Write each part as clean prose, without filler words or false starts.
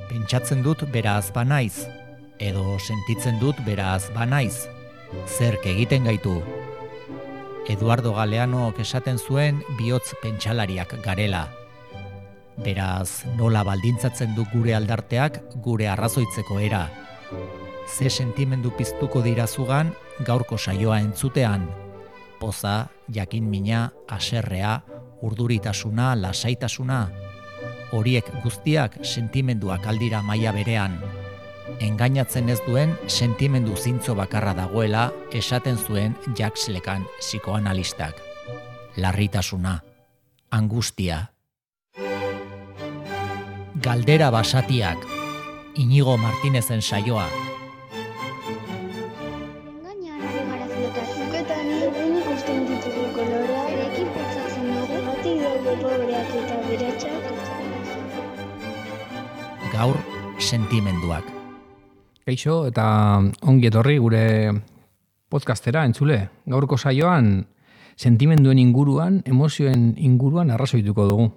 Pentsatzen dut beraz banaiz, edo sentitzen dut beraz banaiz. Zerk egiten gaitu. Eduardo Galeanok esaten zuen bihotz pentsalariak garela. Beraz, nola baldintzatzen du gure aldarteak gure arrazoitzeko era. Ze sentimendu piztuko dira zugan gaurko saioa entzutean. Poza, jakinmina, haserrea, urduritasuna, lasaitasuna. Horiek guztiak sentimenduak aldira maila berean. Engainatzen ez duen sentimendu zintzo bakarra dagoela esaten zuen Jacques Lacan psikoanalistak. Larritasuna, angustia. Galdera basatiak, Inigo Martinezen saioa. Engainan ari gara filotatzeko eta ni ikusten ditugu koloreak, erekin pentsatzen dugu, batik daude pobreak eta beratxak. Gaur, sentimenduak. Kaixo eta ongi etorri gure podcastera entzule. Gaurko saioan sentimenduen inguruan, emozioen inguruan arrazoituko dugu.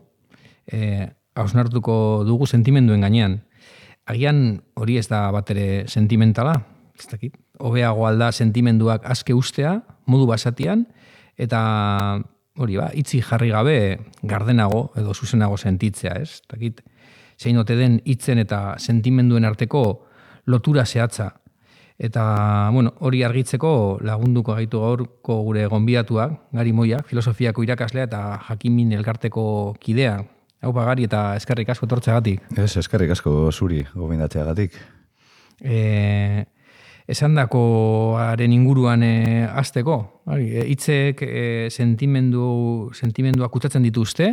Hausnartuko dugu sentimenduen gainean. Agian hori ez da batere sentimentala, ez dakit. Hobeago alda sentimenduak aske ustea, modu basatian, eta hori itzi jarri gabe gardenago edo zuzenago sentitzea, ez? Ez dakit, zein ote den hitzen eta sentimenduen arteko lotura zehatza. Eta, hori argitzeko lagunduko gaitu gaurko gure gonbidatuak, Gari Moiak, filosofiako irakaslea eta Jakinmin elkarteko kidea. Haupa Gari eta eskerrik asko etortzeagatik. Ez, eskerrik asko zuri gomendatzeagatik. Esandakoaren inguruan hasteko, hitzek sentimenduak kutsatzen dituzte,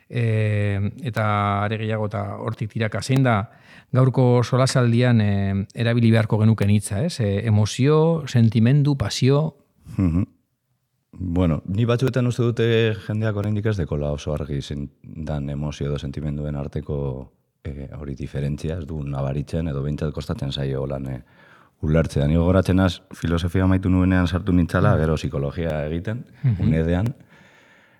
eta are gehiago eta hortik tiraka zein da gaurko solasaldian erabili beharko genuken hitza, ez? Emozio, sentimendu, pasio. Bueno, ni batzuetan uste dute jendeak oraindik ez dekola oso argi dan emozio edo sentimenduen arteko hori diferentzia, ez du nabaritzen edo behintzat kostatzen zaio holan ulertzea. Ni gogoratzen az, filosofia amaitu nuenean sartu nintzala, gero psikologia egiten, unedean,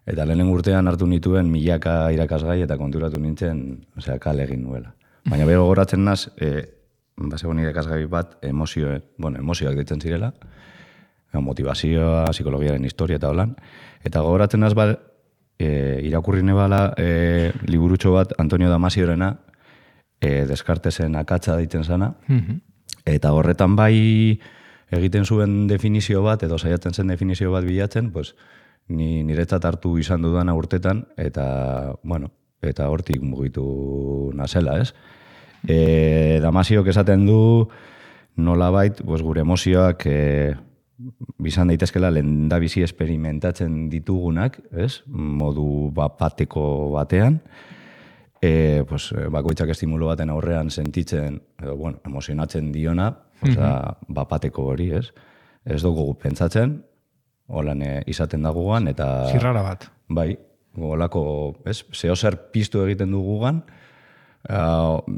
eta lehenen urtean hartu nituen milaka irakasgai eta konturatu nintzen, kale egin nuela. Baina beho gogoratzen naz, bazegoen irakasgai bat emozioak ditzen zirela, motivazioa, psikologiaren historia eta holan. Eta gogoratzen naz irakurri nebala liburutxo bat Antonio Damaziorena, Descartesen akatsa ditzen zana, eta horretan bai egiten zuen definizio bat, edo saiatzen zen definizio bat bilatzen, pues, niretzat hartu izan dudana urtetan, eta, eta hortik mugitu nazela, ez? Damaziok esaten du nolabait, pues, gure emozioak bizan daitezkela lehendabizi esperimentatzen ditugunak, ez? Modu bateko batean, bakoitzak estimulo baten aurrean sentitzen, edo, emozionatzen diona, bateko hori, ez? Ez dugu pentsatzen, holan izaten da gugan, eta... Zirrara bat. Bai, golako, ez? Zeozer piztu egiten du gugan,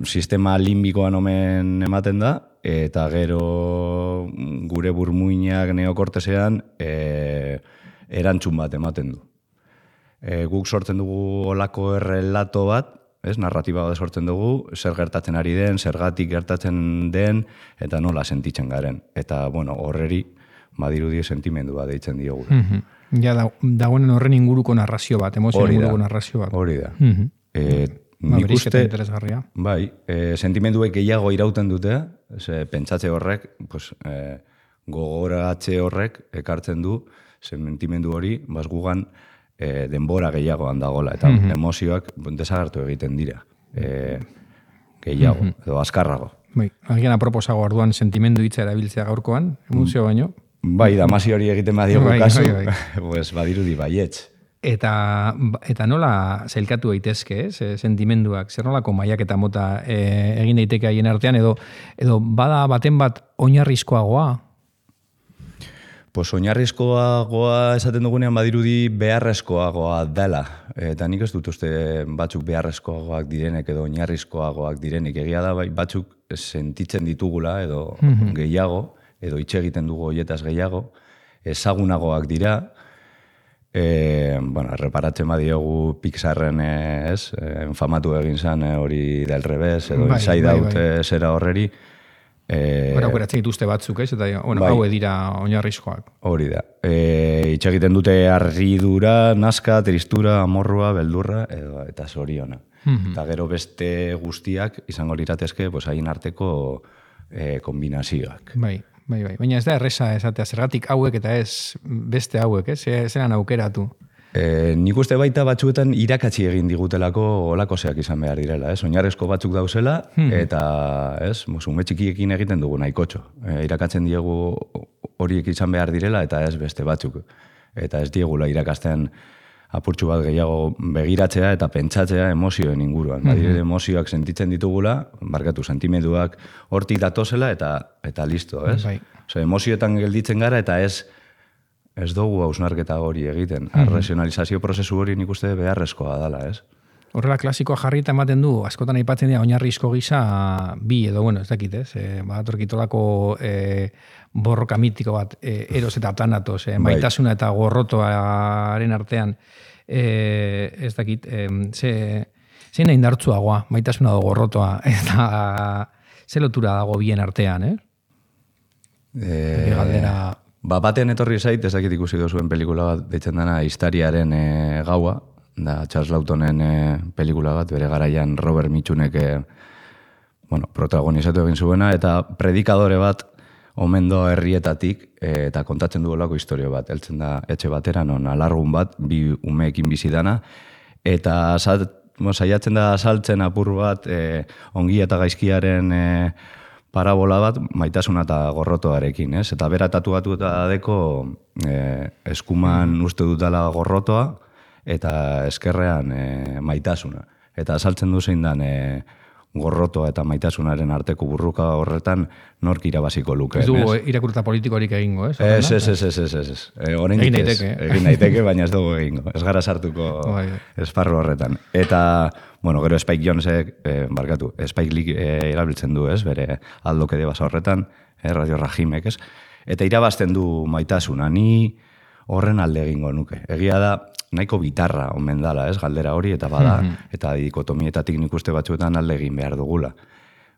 sistema limbikoan omen ematen da, eta gero gure burmuinak neokortesean erantzun bat ematen du. Guk sortzen dugu olako errelato bat, ez, narratiba bat sortzen dugu, zer gertatzen ari den, zergatik gertatzen den, eta nola sentitzen garen. Eta, horreri, badirudi sentimendu bat deitzen diogu. Ja, dagoen horren inguruko narrazio bat, emozioen inguruko narrazio bat. Hori da. Nik uste, interesgarria. Bai, sentimenduek gehiago irauten dute, pentsatze horrek, gogoratze horrek ekartzen du, sentimendu hori, gugan denbora gehiagoan dagola, eta emozioak desagertu egiten dira. Gehiago, edo azkarrago. Bai, agian aproposago orduan sentimendu hitza erabiltzea gaurkoan, emozio baino. Bai, Damasi hori egiten badiogu kasu, badirudi baietz. Eta nola zailkatu daitezke, sentimenduak, zer nolako mailak eta mota egin daiteke haien artean, edo bada baten bat oinarrizkoagoa? Oinarrizkoagoa esaten dugunean badirudi beharrezkoagoa dela. Eta nik ez dut uste batzuk beharrezkoagoak direnek edo oinarrizkoagoak direnik. Egia da batzuk sentitzen ditugula edo gehiago, edo hitz egiten dugu hoietaz gehiago, ezagunagoak dira, Bueno, reparatzen badiogu Pixarren enfamatu egin zen hori del revés, edo Inside Out zera horreri. Aukeratzen dituzte batzuk, ez? Eta hau dira oinarrizkoak. Hori da. Itxegiten dute harridura, nazka, tristura, amorrua, beldurra, eta zoriona. Eta gero beste guztiak izango liratezke haien arteko kombinazioak. Bai. Baina ez da erresa esatea, zergatik hauek eta ez beste hauek, zeran aukeratu. Nik uste baita batzuetan irakatsi egin digutelako olakoseak izan behar direla, oinarrezko batzuk dauzela, eta ume txikiekin egiten dugu nahikotxo. Irakatzen diegu horiek izan behar direla, eta ez beste batzuk. Eta ez diegula irakasten apurtxu bat gehiago begiratzea eta pentsatzea emozioen inguruan. Badire emozioak sentitzen ditugula, barkatu sentimenduak hortik datozela eta listo, ez? Emozioetan gelditzen gara eta ez dugu hausnarketa hori egiten. Arrazionalizazio prozesu hori nik uste beharrezkoa dela, ez? Horrela klasikoa jarri eta ematen du, askotan aipatzen dira oinarrizko gisa bi edo, ez dakit, ez? Badatorkitolako borroka mitiko bat, eros eta tanatos, maitasuna eta gorrotoaren artean, ez dakit, zein indartsuagoa, maitasuna da gorrotoa, eta ze lotura dago bien artean, galdera... Batean etorri zait, ez dakit ikusi duzuen pelikula bat deitzen dena Historiaren gaua, da Charles Lawtonen pelikula bat, bere garaian Robert Mitchunek protagonizatu egin zuena, eta predikadore bat omen doa herrietatik eta kontatzen duelako historio bat. Heltzen da etxe batera, non alargun bat, bi umeekin bizi dana, eta saiatzen da saltzen apur bat ongi eta gaizkiaren parabola bat maitasuna eta gorrotoarekin, ez? Eta bera tatuatu eta deko eskuman uste dutala gorrotoa eta eskerrean maitasuna. Eta saltzen du zein dan gorrotoa eta maitasunaren arteko burruka horretan nork irabaziko luke. Ez du irakurta politikorik egingo, ez? Ez. Egin daiteke, baina ez dugu egingo. Ez gara sartuko esparru horretan. Eta, gero Spike Jonzek, Spike Lee erabiltzen du, ez? Bere aldoke de basa horretan, Radio Rajimek, ez? Eta irabazten du maitasuna, ni horren alde egingo nuke. Egia da, nahiko bitarra omen dala, ez, galdera hori, eta bada, eta dikotomietatik nik uste batzuetan alde egin behar dugula.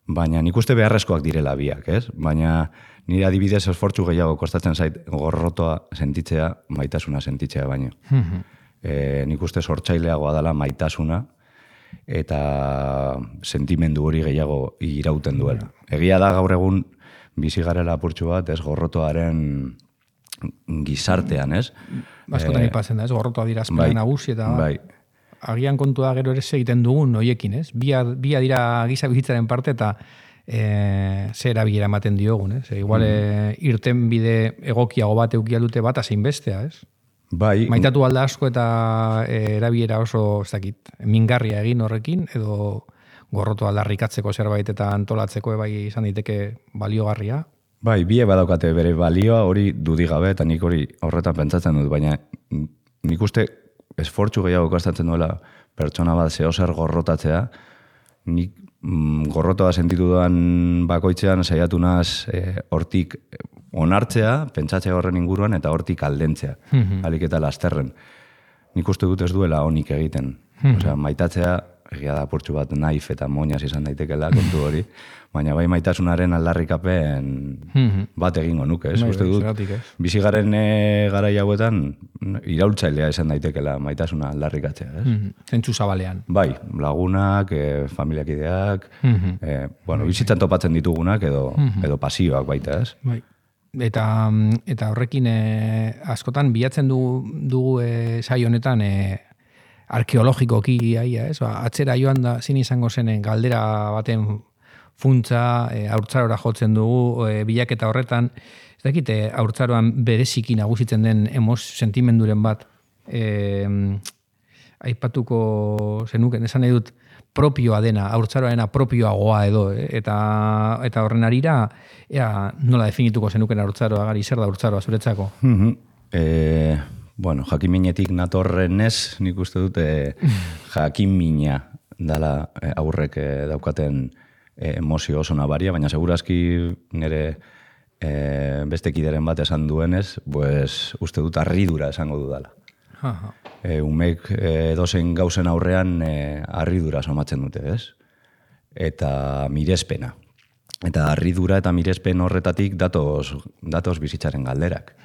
Baina nik uste beharrezkoak direla biak, ez? Baina nire adibidez esfortzu gehiago kostatzen zait gorrotoa sentitzea, maitasuna sentitzea baino. Nik uste sortzaileagoa dela maitasuna, eta sentimendu hori gehiago irauten duela. Egia da gaur egun bizi garela apurtxu bat, ez, gorrotoaren gizartean, ez? Askotan ipatzen da, ez? Gorrotoa dira azpena nagusi eta agian kontua gero ere egiten dugun hoiekin, ez? Bia dira giza bizitzaren parte eta ze erabilera ematen diogun, ez? Igual irten bide egokiago bat eukialdute bat azein bestea, ez? Maitatu alda asko eta erabilera oso, ez dakit, mingarria egin horrekin edo gorrotoa aldarrikatzeko zerbait eta antolatzeko izan daiteke baliogarria. Bie badaukate bere balioa hori dudigabe eta nik hori horretan pentsatzen dut, baina nik uste esfortzu gehiago kostatzen duela pertsona bat zehozer gorrotatzea, nik gorrotoa sentitu duan bakoitzean saiatu naz hortik onartzea, pentsatzea horren inguruan eta hortik aldentzea, alik eta lasterren. Nik uste dut ez duela honik egiten. Osea, maitatzea, egia da apurtxu bat naif eta moñaz izan daitekela kontu hori, baina bai maitasunaren aldarrikapen bat egingo nuke, ez? Uste dut, bizigaren garai hauetan iraultzailea izan daitekela maitasuna aldarrikatzea, ez? Zentzu zabalean. Bai, lagunak, familiakideak, bizitzan topatzen ditugunak edo pasioak baita, ez? Bai. Eta horrekin askotan bilatzen dugu saio honetan arkeologikoki ez? Atzera joan da zin izango zenen galdera baten funtza, haurtzarora jotzen dugu, bilaketa horretan, ez dakit, haurtzaroan bereziki nagusitzen den sentimenduren bat, aipatuko zenuken, esan nahi dut, propioa dena, haurtzaroarena propioagoa edo, eta horren arira, nola definituko zenuken haurtzaroa, gari, zer da haurtzaroa zuretzako? Jakiminetik natorrenez, nik uste dute jakimina dala aurrek daukaten emozio oso nabaria, baina segurazki nire beste kideren bat esan duenez, uste dut harridura esango dudala. Aha. Umek edozein gauzen aurrean harridura somatzen dute, ez? Eta mirespena. Eta harridura eta mirespen horretatik datoz bizitzaren galderak.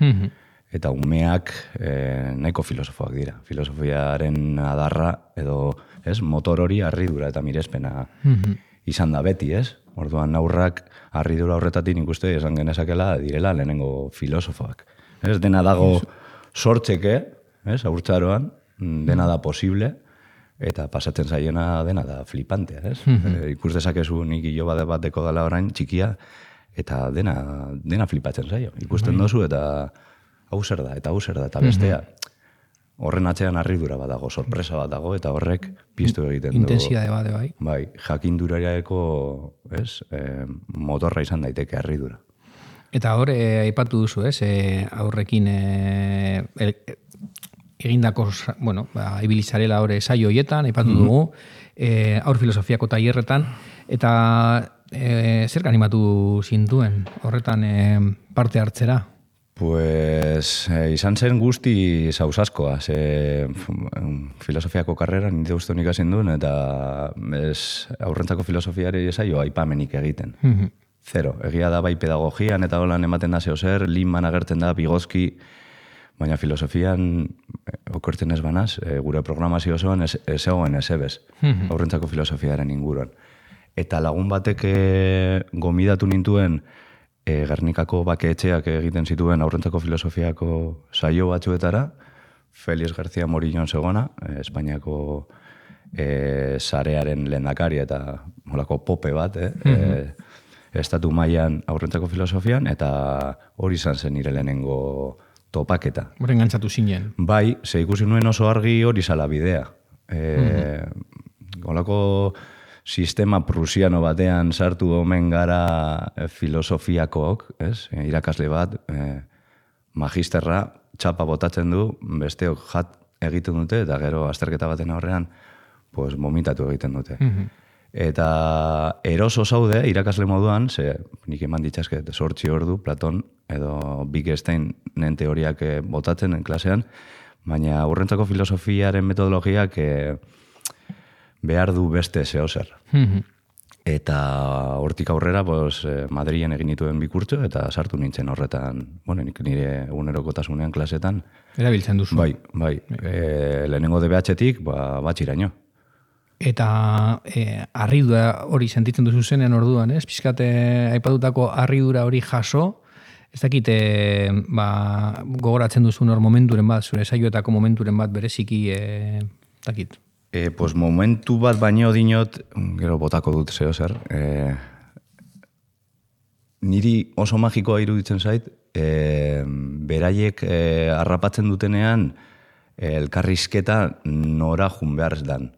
Eta umeak nahiko filosofoak dira. Filosofiaren adarra edo motor hori harridura eta mirespena izan da beti, ez? Orduan aurrak harridura horretatik nik uste esan genezakela direla lehenengo filosofoak. Ez dena dago sortzeke, ez? Aurtzaroan, dena da posible, eta pasatzen zaiena dena da flipantea, ez? Ikus dezakezu nik hilo bat deko dela orain txikia, eta dena flipatzen zaio. Ikusten dozu eta hau zer da, eta bestea. Horren atzean harridura bat dago, sorpresa bat dago, eta horrek piztu egiten du. Intensidade bat, bai. Bai, jakindurareko motorra izan daiteke harridura. Eta hor, aipatu duzu, ez? Aurrekin egindako, ibilizarela hor saio hoietan, aipatu dugu, aur filosofiako tailerretan, eta zer animatu zintuen horretan parte hartzera? Pues izan zen guzti zauzaskoa, filosofiako karrera nire uste honik hasin duen, eta aurrentzako filosofiari esaio aipamenik egiten. Zero, egia da bai pedagogian eta holan ematen da zehozer, Linman agertzen da, Vygotsky, baina filosofian okertzen ez banaz, gure programazio osoan ez egoen ez ebez, aurrentzako filosofiaren inguruan. Eta lagun batek gomidatu nintuen Gernikako bakeetxeak egiten zituen aurrentzako filosofiako saio batzuetara, Félix García Morillon zegona, Espainiako sarearen lehendakari eta molako pope bat, estatu mailan aurrentzako filosofian, eta hori izan zen nire lehenengo topaketa. Horren gantzatu zinen. Bai, ze ikusi nuen oso argi hori zala bidea. Holako sistema prusiano batean sartu omen gara filosofiakook, irakasle bat, magisterra, txapa botatzen du, besteok jat egiten dute, eta gero azterketa baten aurrean, pues, vomitatu egiten dute. Eta eroso zaude, irakasle moduan, ze nik eman ditxasket 8 ordu, Platon edo Wittgensteinen teoriak botatzen klasean, baina aurrentzako filosofiaren metodologiak behar du beste zehozer. Eta hortik aurrera, Madrilen egin dituen bikurtzo, eta sartu nintzen horretan, nik nire egunerokotasunean klasetan. Erabiltzen duzu. Bai. Lehenengo DBH-tik, batxiraino. Eta harridura hori sentitzen duzu zenen orduan, ez? Pizkate aipatutako harridura hori jaso, ez dakit gogoratzen duzun hor momenturen bat, zure saioetako momenturen bat bereziki, dakit. Pues momentu bat baino dinot, gero botako dut zehozer, niri oso magikoa iruditzen zait, beraiek harrapatzen dutenean elkarrizketa nora jun behar ez dan.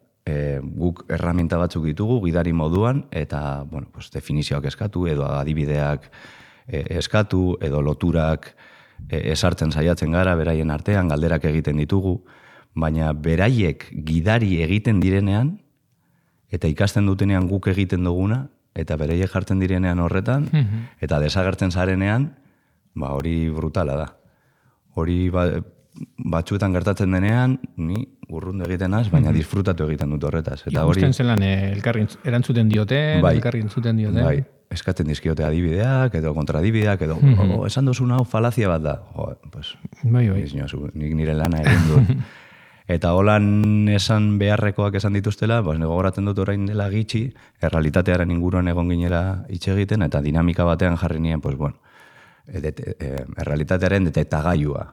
Guk erraminta batzuk ditugu, gidari moduan, eta definizioak eskatu, edo adibideak eskatu, edo loturak esartzen saiatzen gara, beraien artean, galderak egiten ditugu, baina beraiek gidari egiten direnean, eta ikasten dutenean guk egiten duguna, eta beraiek jartzen direnean horretan, eta desagertzen zarenean, hori brutala da. Hori batzuetan gertatzen denean, ni urrundu egiten az, baina disfrutatu egiten dut horretaz. Ikusten zelan elkarri erantzuten dioten, elkarri entzuten dioten. Bai, eskatzen dizkiote adibideak, edo kontradibideak, edo esan duzun hau falazia bat da. Bai. Nik nire lana egin dut. Eta holan esan beharrekoak esan dituztela, gogoratzen dut orain dela gitxi, errealitatearen inguruan egon ginela hitz egiten, eta dinamika batean jarri nien, errealitatearen detektagailua.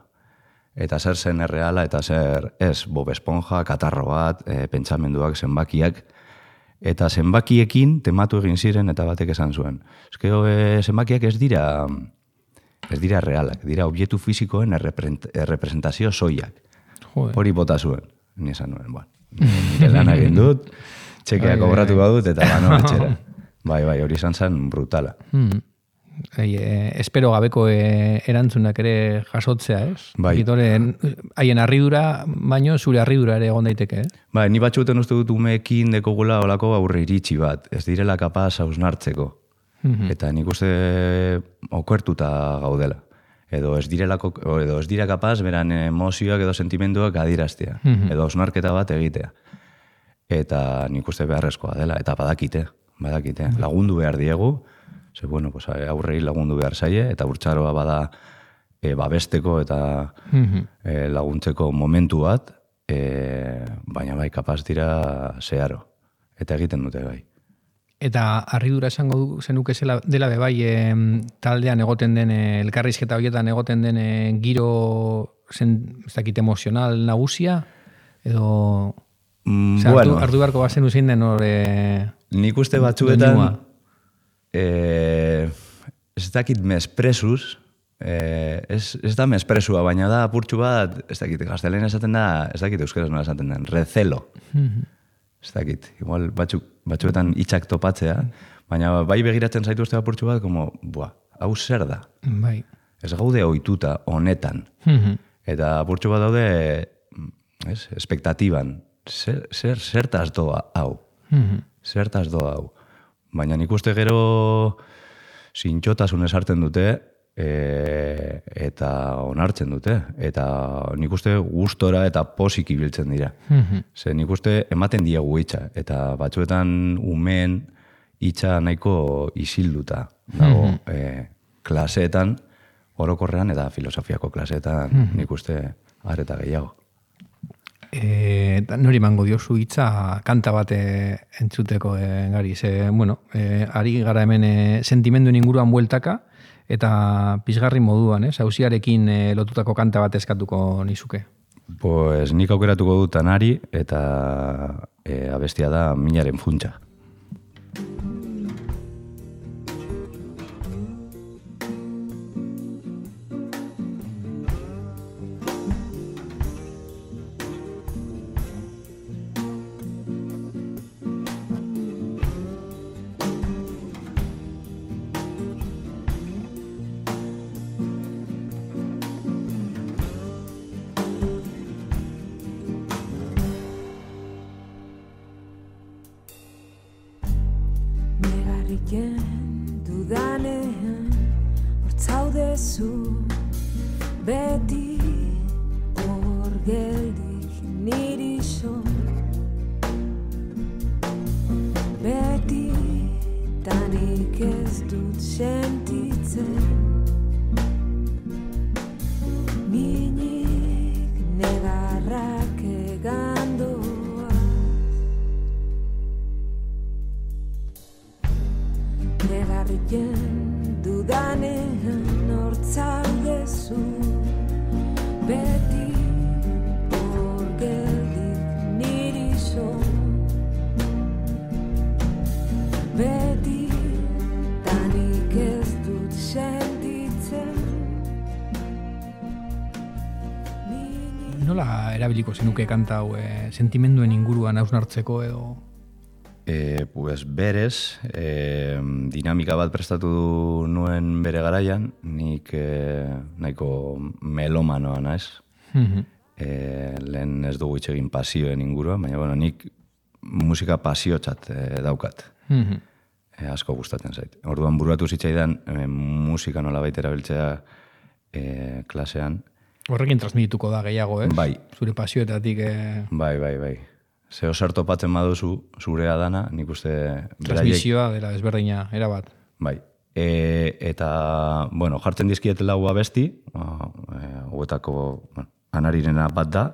Eta zer zen erreala, eta zer ez, Bob Esponja, katarro bat, pentsamenduak, zenbakiak, eta zenbakiekin tematu egin ziren, eta batek esan zuen. Zenbakiak ez dira realak, dira objektu fizikoen errepresentazio soilak. Hori bota zuen, ni esan nuen, nire lan egin dut, txekea kobratu badut, eta etxera. Bai, hori izan zen brutala. Espero gabeko erantzunak ere jasotzea, ez? Bai. Haien harridura, baino zure harridura ere egon daiteke, Bai, ni batxuten uste dut umeekin dekogula olako aurre iritsi bat, ez direla kapaz hausnartzeko. Eta nik uste okertuta gaudela. edo ez dira kapaz beran emozioak edo sentimenduak adieraztea, edo osnarketa bat egitea. Eta nik uste beharrezkoa dela, eta badakite, lagundu behar diegu, ze bueno, pues, aurrei lagundu behar zaie, eta urtsaroa bada babesteko eta laguntzeko momentu bat, baina bai kapaz dira zeharo, eta egiten dute bai. Eta harridura esango zenuke dela bebai taldean egoten den, elkarrizketa horietan egoten den giro ez dakit emozional nagusia, edo Bueno, hartu beharko bazen uzin den hor... nik uste batzuetan ez dakit mespresuz, ez da mespresua, baina da apurtxu bat, ez dakit, gaztelen esaten da, ez dakit euskeraz nola esaten den, recelo. Ez dakit, igual batzuetan hitzak topatzea, baina bai begiratzen zaitu uste apurtxu bat, como, hau zer da? Bai. Ez gaude ohituta honetan. Eta apurtxu bat daude, espektatiban, zertaz doa hau. Zertaz doa hau. Baina nik uste gero zintxotasunez hartzen dute eta onartzen dute. Eta nik uste gustora eta posik ibiltzen dira. Ze nik uste ematen diegu hitza. Eta batzuetan umeen hitza nahiko isilduta. Dago klaseetan, orokorrean eta filosofiako klaseetan nik uste areta gehiago. Nori mango diozu hitza kanta bat entzuteko gari. Bueno, ari gara hemen sentimenduen inguruan bueltaka eta pizgarri moduan, auziarekin lotutako kanta bat eskatuko nizuke. Pues nik aukeratuko dut Tanari eta abestia da Minaren funtsa. Nola erabiliko zenuke kanta hau sentimenduen inguruan hausnartzeko edo? Pues berez, dinamika bat prestatu nuen bere garaian, nik nahiko melomanoa naiz. Lehen ez dugu hitz egin pasioen inguruan, baina bueno, nik musika pasiotzat daukat. Asko gustatzen zait. Orduan buruatu zitzaidan musika nola baita erabiltzea klasean. Horrekin transmitituko da gehiago, Bai. Zure pasioetatik... Bai. Zeo zer topatzen baduzu zurea dana, nik uste... Transmisioa dela ezberdina, erabat. Bai. Eta, bueno, jartzen dizkiet lau abesti, hauetako Anarirena bat da,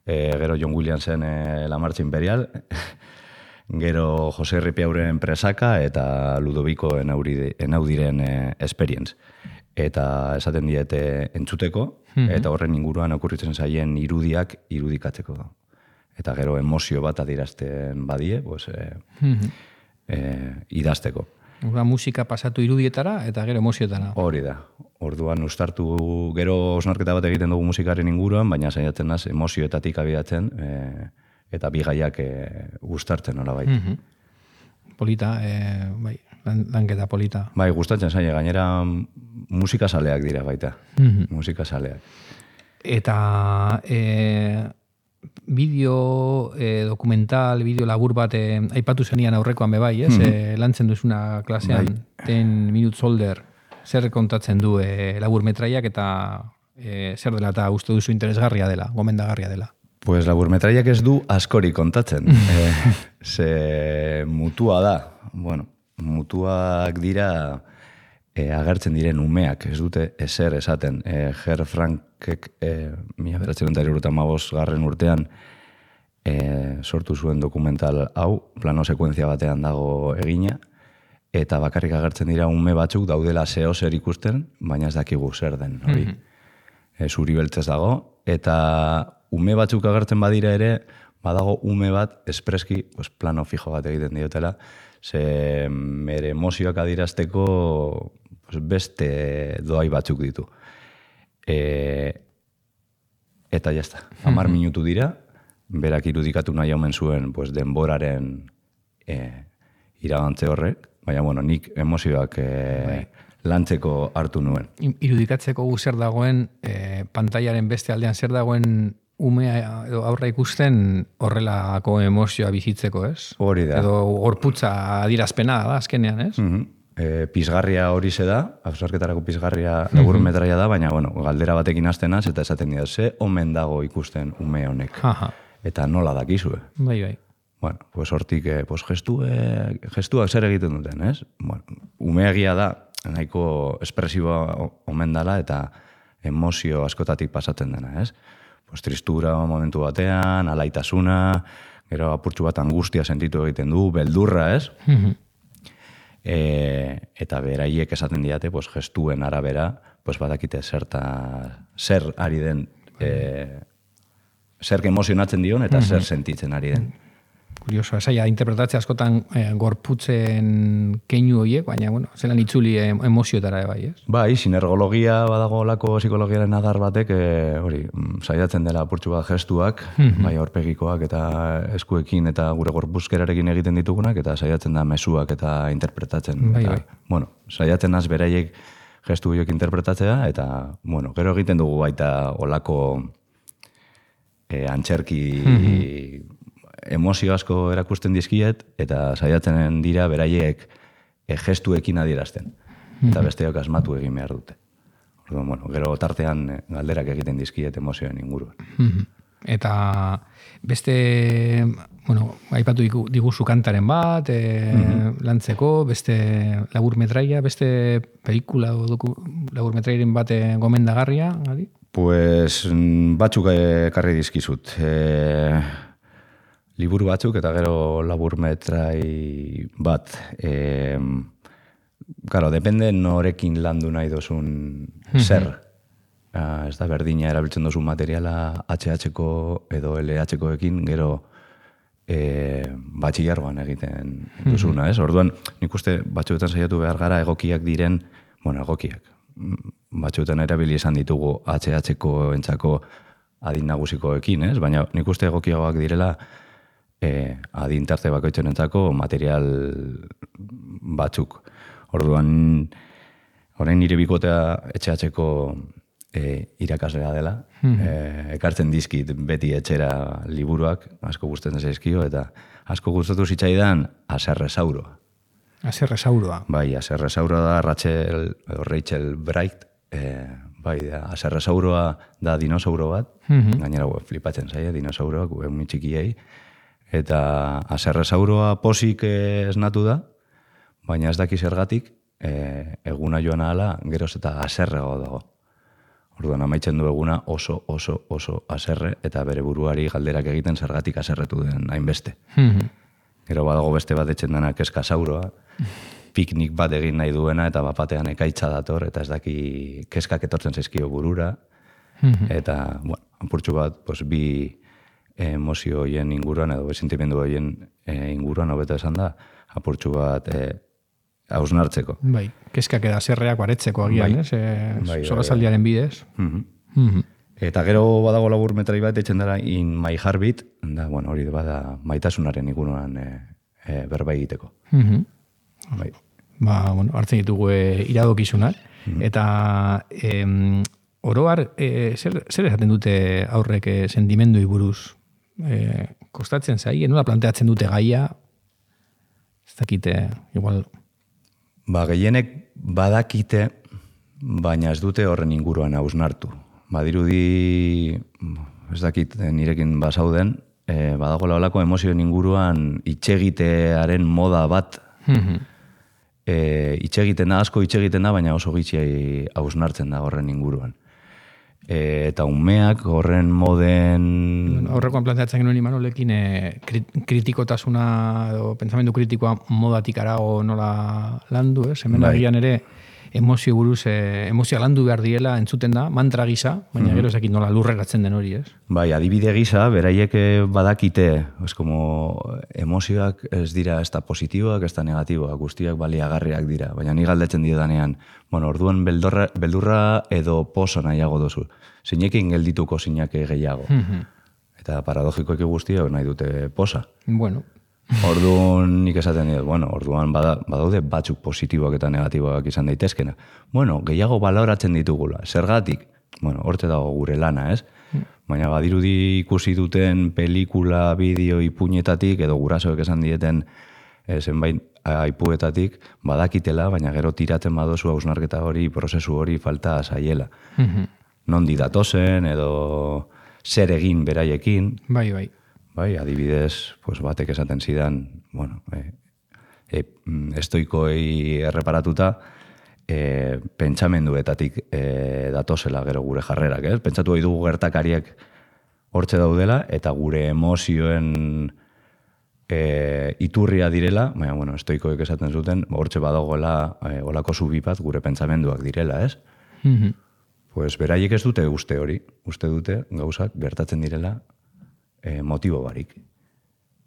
gero John Williamsen La Marcha Imperial, gero Jose Ripiauren Presaka eta Ludovico Enaudiren Experience. Eta esaten diete entzuteko, eta horren inguruan okurritzen zaien irudiak irudikatzeko. Eta gero emozio bat adierazten badie, pues, idazteko. Musika pasatu irudietara eta gero emozioetara. Hori da. Orduan ustartu gero osnarketa bat egiten dugu musikaren inguruan, baina saiatzen naz emozioetatik abiatzen eta bigaiak gustartzen nolabait. Polita, bai, lanketa polita. Bai, gustatzen zaie, gainera musikazaleak dira baita. Musikazaleak. Eta bideo dokumental, bideo labur bat aipatu zenian aurrekoan bebai, lantzen duzuna klasean, 10 Minutes Older. zer kontatzen du laburmetraiak eta zer dela eta uste duzu interesgarria dela, gomendagarria dela? Pues laburmetraiak ez du askori kontatzen. Ze mutua da. Bueno, mutuak dira agertzen diren umeak, ez dute ezer esaten. Ger Frankek 1975 urtean sortu zuen dokumental hau, plano sekuentzia batean dago egina, eta bakarrik agertzen dira ume batzuk daudela zeo zer ikusten, baina ez dakigu zer den, hori. Zuri beltzez dago, eta ume batzuk agertzen badira ere, badago ume bat espreski plano fijo bat egiten diotela, ze mere emozioak adirazteko beste doai batzuk ditu. Eta jazta, 10 minutu dira, berak irudikatu nahi omen zuen denboraren iragantze horrek, baina bueno, nik emozioak lantzeko hartu nuen. Irudikatzeko zer dagoen, pantailaren beste aldean zer dagoen umea edo aurra ikusten horrelako emozioa bizitzeko, ez? Hori da. Edo gorputza adirazpena da, azkenean, ez? Pizgarria hori ze da, absarketarako pizgarria laburmetraia da, baina bueno, galdera batekin hastenaz eta esaten dira, ze omen dago ikusten ume honek. Eta nola dakizue. Bai. Bueno, pues hortik gestuak zer egiten duten, ez? Bueno, umeagia da, nahiko espresiboa omen dela eta emozio askotatik pasatzen dena, ez? Pues tristura momentu batean, alaitasuna, gero apurtxu bat angustia sentitu egiten du, beldurra, ez? Eta beraiek esaten diate, pues gestuen arabera, pues badakite zer ari den, zer emozionatzen dion eta zer sentitzen ari den. Kurioso, esaia, interpretatzea askotan gorputzen keinu horiek, baina, bueno, zelan itzuli emozioetara bai, ez? Bai, sinergologia badago lako psikologiaren adar batek, hori, saiatzen dela apurtxu bat gestuak, bai aurpegikoak eta eskuekin eta gure gorpuzkerarekin egiten ditugunak, eta saiatzen da mezuak eta interpretatzen. Bai. Bueno, saiatzen az beraiek gestu horiek interpretatzea, eta, bueno, gero egiten dugu baita olako antzerki emozio asko erakusten dizkiet, eta saiatzen dira beraiek gestuekin adierazten. Eta besteok asmatu egin behar dute. Orduan, bueno, gero tartean galderak egiten dizkiet emozioen inguruan. Eta beste, bueno, aipatu diguzu kantaren bat, lantzeko, beste laburmetraia, beste pelikula o laburmetraiaren bat gomendagarria, adi? Pues batzuk ekarri dizkizut. Liburu batzuk eta gero laburmetrai bat. Claro, depende norekin landu nahi dozun zer. Ez da berdina erabiltzen dozun materiala HH-ko edo LH-koekin gero batxillargoan egiten duzuna, ez? Orduan, nik uste batzuetan saiatu behar gara egokiak diren, bueno, egokiak. Batzuetan erabili izan ditugu HH-ko entzako adin nagusikoekin, ez? Baina nik uste egokiagoak direla adin tarte bakoitzen entzako material batzuk. Orduan, orain nire bikotea HH-ko irakaslea dela. Ekartzen dizkit beti etxera liburuak, asko gustatzen zaizkio, eta asko gustatu zitzaidan Aserresauroa. Aserresauroa. Bai, Aserresauroa da Rachel Bright, bai, Aserresauroa da dinosauro bat, gainera flipatzen zaie, dinosauroak, umi txikiei, eta Aserresauroa posik esnatu da, baina ez daki zergatik, eguna joan ahala, geroz eta aserrego dago. Orduan amaitzen du eguna oso aserre, eta bere buruari galderak egiten zergatik aserretu den hainbeste. Gero badago beste bat etxen dena keskasauroa, piknik bat egin nahi duena, eta bapatean ekaitza dator, eta ez daki keskak etortzen zaizkio burura, eta, bueno, apurtxu bat, bi emozio hoien inguruan, edo sentimendu hoien inguruan, hobeto esan da, apurtxu bat hausnartzeko. Bai, keskak eda zerreak baretzeko agian, ez? Solasaldiaren bidez. Eta gero badago laburmetrai bat etxen dara In My Heartbeat, da, bueno, hori bada maitasunaren inguruan berba egiteko. Bai. Bueno, hartzen ditugu iradokizunak, eta oroar, zer esaten dute aurrek sentimendui buruz? Kostatzen zai, nola planteatzen dute gaia, ez dakite, igual... Gehienek badakite baina ez dute horren inguruan hausnartu. Badirudi, ez dakit nirekin bazauden, badagoela olako emozioen inguruan itxegitearen moda bat, itxegiten da, asko itxegiten da, baina oso gitxi hausnartzen da horren inguruan. Eta umeak horren moden... Horrekoan planteatzen genuen Imanolekin kritikotasuna edo pentsamendu kritikoa modatik arago nola landu, hemen agian ere emozio buruz, emozioa landu behar diela entzuten da, mantra gisa, baina gero ezakit nola lurreratzen den hori, ez? Bai, adibide gisa, beraiek badakite, como emozioak ez dira ez da positiboak, ez da negatiboak, guztiak baliagarriak dira, baina ni galdetzen diodanean, bueno, orduan beldurra edo posa nahiago dozu, zeinekin geldituko zinake gehiago. Eta paradogikoek guztiak nahi dute posa. Bueno. Orduan nik esaten dut, bueno, orduan badaude batzuk positiboak eta negatiboak izan daitezkena. Bueno, gehiago baloratzen ditugula. Zergatik? Bueno, hortze dago gure lana, ez? Baina badirudi ikusi duten pelikula, bideo, ipuñetatik, edo gurasoek esan dieten zenbait aipuetatik, badakitela, baina gero tiratzen badozu hausnarketa hori, prozesu hori falta zaiela. Nondi datozen, edo zer egin beraiekin. Bai. Bai, adibidez, pues batek esaten zidan, bueno, estoikoei erreparatuta, pentsamenduetatik datozela gero gure jarrerak, ez? Pentsatu hori dugu gertakariek hortze daudela, eta gure emozioen iturria direla, baina, bueno, estoikoek esaten zuten, hortze badagoela olako zubi bat gure pentsamenduak direla, ez? Pues beraiek ez dute uste hori, uste dute gauzak gertatzen direla motibo barik.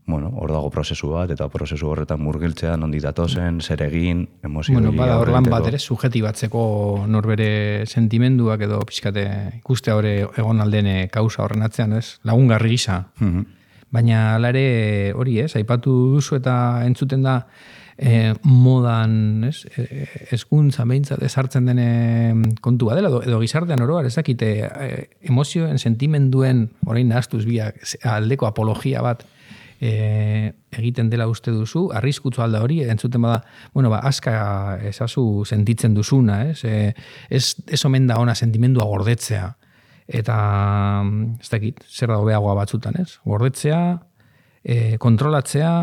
Bueno, hor dago prozesu bat, eta prozesu horretan murgiltzea, nondi datozen, zer egin, emozio... Bueno, bada hor lan bat ere, sujetibatzeko norbere sentimenduak edo pixkate ikuste hori egon aldene kausa horren atzean, ez? Lagungarri gisa. Baina ala ere hori, ez? Aipatu duzu eta entzuten da modan, ez? Hezkuntza behintzat ezartzen den kontua dela, edo gizartean oroar, ez dakite emozioen, sentimenduen, orain nahaztuz biak, aldeko apologia bat egiten dela uste duzu, arriskutzu alda hori, entzuten bada, bueno, aska ezazu sentitzen duzuna, ez? Ez omen da ona sentimendua gordetzea, eta ez dakit, zer da hobeagoa batzutan, ez? Gordetzea, kontrolatzea,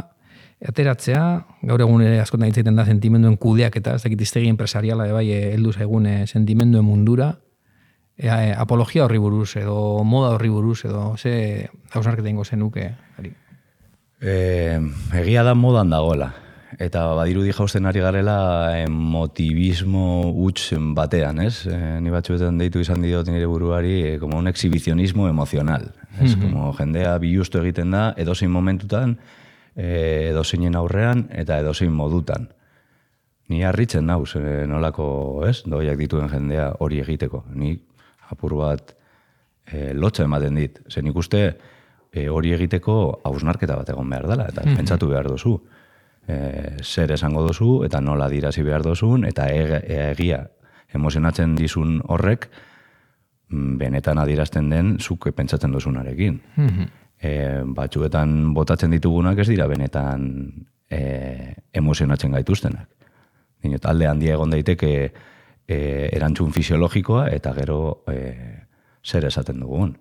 ateratzea, gaur egun ere askotan hitz egiten da sentimenduen kudeak eta ez dakit hiztegi enpresariala bai heldu zaigun sentimenduen mundura, apologia horri buruz edo moda horri buruz edo ze hausnarketa egingo zenuke ari. Egia da modan dagoela. Eta badirudi jausten ari garela emotivismo huts batean, ez? Ni batzuetan deitu izan diot nire buruari como un exhibicionismo emocional. Ez, como jendea bilustu egiten da edozein momentutan, edozeinen aurrean eta edozein modutan. Ni harritzen nauz, nolako, ez? Doiak dituen jendea hori egiteko. Ni apur bat lotza ematen dit. Zen ikuste hori egiteko hausnarketa bat egon behar dela, eta pentsatu behar dozu. Zer esango dozu, eta nola dirazi behar dozun, eta egia emozionatzen dizun horrek, benetan adierazten den zuk pentsatzen dozunarekin. Batzuetan botatzen ditugunak ez dira benetan emozionatzen gaituztenak. Alde handia egon daiteke erantzun fisiologikoa eta gero zer esaten dugun.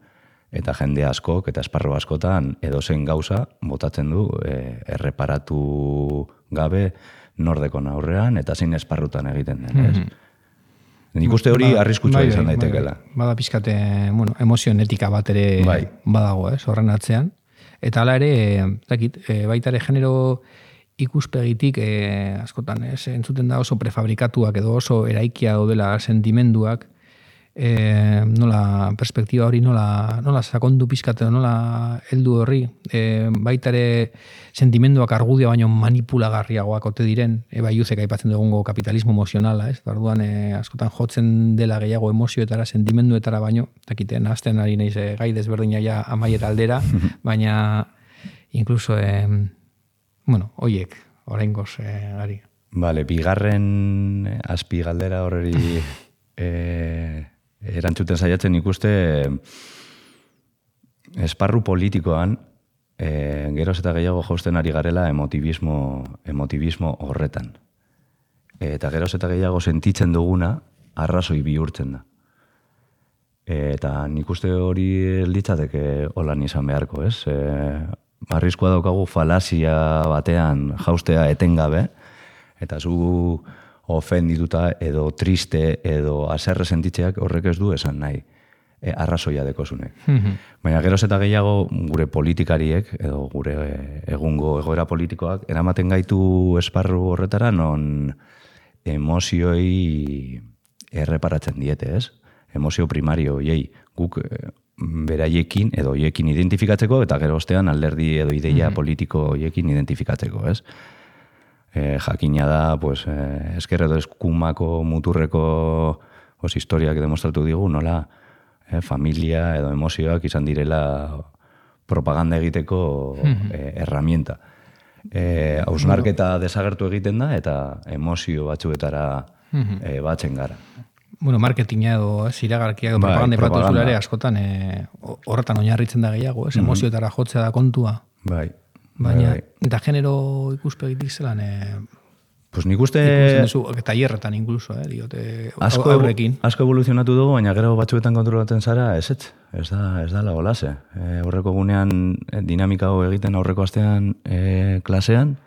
Eta jende askok eta esparru askotan edozein gauza botatzen du erreparatu gabe nordekon aurrean eta zein esparrutan egiten den, ez? Nik uste hori arriskutsua izan daitekela. Bada pizkate, bueno, emozioen etika bat ere badago, ez, horren atzean. Eta hala ere, dakit, baita ere genero ikuspegitik askotan, ez, entzuten da oso prefabrikatuak edo oso eraikia daudela sentimenduak, nola perspektiba hori nola sakondu pizkate nola heldu horri, baita ere sentimenduak argudia baino manipulagarriagoak ote diren, bai Juzek aipatzen dugungo kapitalismo emozionala, ez? Orduan askotan jotzen dela gehiago emozioetara, sentimenduetara baino, dakite, nahazten ari naiz gai desberdina ja amaiera aldera, baina incluso bueno, hoiek oraingoz ari. Vale, bigarren azpi galdera horreri erantzuten saiatzen ikuste esparru politikoan geroz eta gehiago jausten ari garela emotivismo horretan. Eta geroz eta gehiago sentitzen duguna arrazoi bihurtzen da. Eta nik uste hori litzateke holan izan beharko, ez? Arriskua daukagu falazia batean jaustea etengabe, eta zu ofendituta edo triste edo haserre sentitzeak horrek ez du esan nahi arrazoia dekozunek. Baina geroz eta gehiago gure politikariek edo gure egungo egoera politikoak eramaten gaitu esparru horretara non emozioi erreparatzen diete, ez? Emozio primario hoiei guk beraiekin edo hoiekin identifikatzeko eta gero ostean alderdi edo ideia politiko hoiekin identifikatzeko, ez? Jakina da, pues, esker edo eskumako muturreko historiak demostratu digu, nola familia edo emozioak izan direla propaganda egiteko herramienta. Hausnarketa desagertu egiten da eta emozio batzuetara batzen gara. Bueno, marketinga edo iragarkia edo propaganda zulare askotan horretan oinarritzen da gehiago, emozioetara jotzea da kontua. Bai. Baina, eta genero ikuspegitik zelan... Pues nik uste... Tailerretan incluso, diote aurrekin. Asko evoluzionatu dugu, baina gero batzuetan kontrolatzen zara, ez da la olase. Horreko gunean dinamika hau egiten aurreko astean klasean,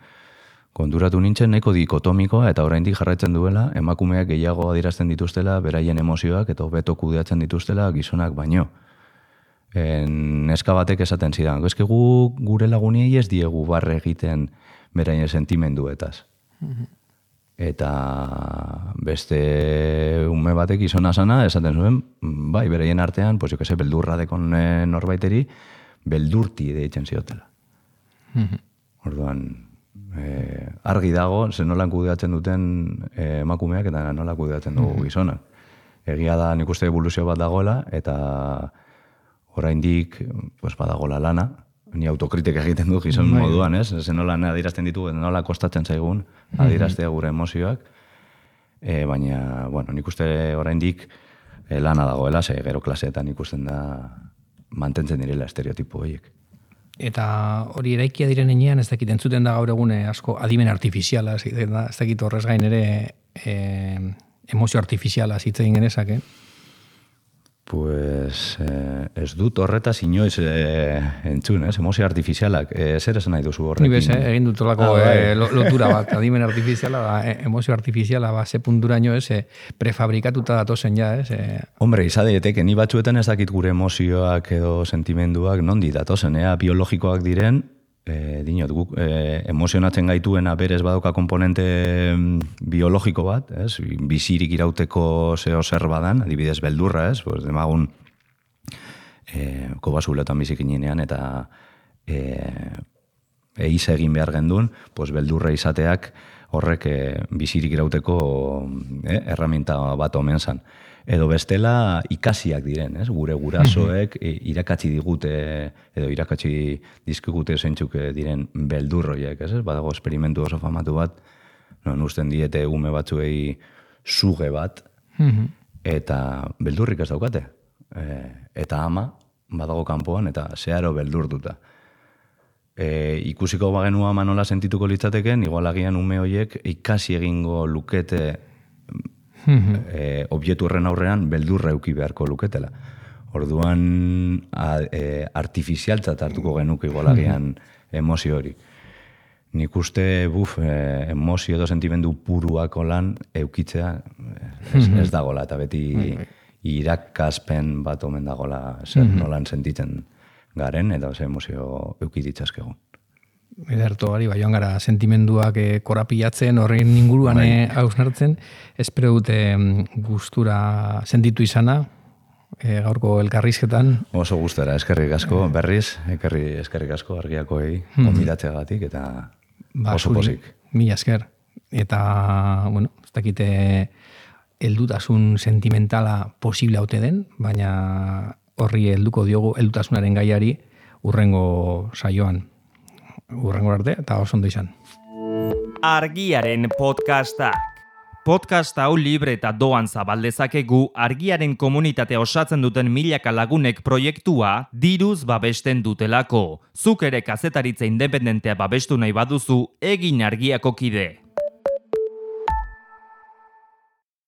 konturatu nintzen nahiko dikotomikoa eta oraindik jarraitzen duela, emakumeak gehiago adierazten dituztela, beraien emozioak eta hobeto kudeatzen dituztela gizonak baino. Neska batek esaten zidan, eske gure laguniei ez diegu barre egiten beraien sentimenduetaz. Eta beste ume batek gizona sana esaten zuen, bai, beraien artean, pues jo que se, beldurra dekon norbaiteri, beldurti deitzen ziotela. Orduan, argi dago, zen nolan kudeatzen duten emakumeak eta nola kudeatzen dugu gizonak. Egia da nik uste evoluzio bat dagoela, eta oraindik pues, badagola lana, ni autokritik egiten du gizon moduan, ez? Zen nola adierazten ditu, nola kostatzen zaigun adieraztea gure emozioak, baina, bueno, nik uste oraindik lana dagoela, ze gero klaseetan ikusten da mantentzen direla estereotipo horiek. Eta hori eraikia diren enean, ez dakit entzuten da gaur egune asko adimen artifiziala, ez dakit horrez gain ere emozio artifiziala zitzen genezake. Pues ez dut horretaz inoiz entzun, emozio artifizialak. Zer esan nahi duzu horrekin? Ni bez, egin dutolako lotura bat, adimen artifiziala, emozio artifiziala, ze punturaino prefabrikatuta datozen ja, ez? Hombre, izadeteke, ni batzuetan ez dakit gure emozioak edo sentimenduak nondi datozen, biologikoak diren, dinot, guk emozionatzen gaituena berez badoka komponente biologiko bat, bizirik irauteko zeo zer badan, adibidez beldurra, demagun kobazuletan bizikinean eta eiz egin behar gendun, beldurra izateak horrek bizirik irauteko herramienta bat omen zan. Edo bestela ikasiak diren, gure gurasoek irakatsi digute edo irakatsi dizkigute zeintzuk diren beldurroiek, badago esperimentu oso famatu bat, non usten diete ume batzuei suge bat, eta beldurrik ez daukate. Eta ama, badago kanpoan, eta zeharo beldurtuta. Ikusiko bagenu ama nola sentituko litzateken, igual agian ume horiek ikasi egingo lukete objektu horren aurrean beldurra euki beharko luketela. Orduan artifizialtzat hartuko genuke igualagian emozio hori. Nik uste emozio edo sentimendu puruako lan eukitzea ez dagola, eta beti irakaspen bat omen dagola zer nolan sentitzen garen, eta ze emozio euki ditzazkegu. Ederto gari, joan gara sentimenduak korapilatzen, horren inguruan hausnartzen, espero dute gustura sentitu izana, gaurko elkarrizketan. Oso gustora, eskerrik asko, berriz, eskerrik asko argiakoei, konbidatzeagatik, eta oso posik. Mila esker. Eta, bueno, ez dakite heldutasun sentimentala posible haute den, baina horri helduko diogu heldutasunaren gaiari urrengo saioan. Urrengo arte, eta oso ondo izan. Argiaren podcastak. Podcast hau libre eta doan zabaldezakegu Argiaren komunitatea osatzen duten milaka lagunek proiektua diruz babesten dutelako. Zuk ere kazetaritza independentea babestu nahi baduzu, egin Argiako kide.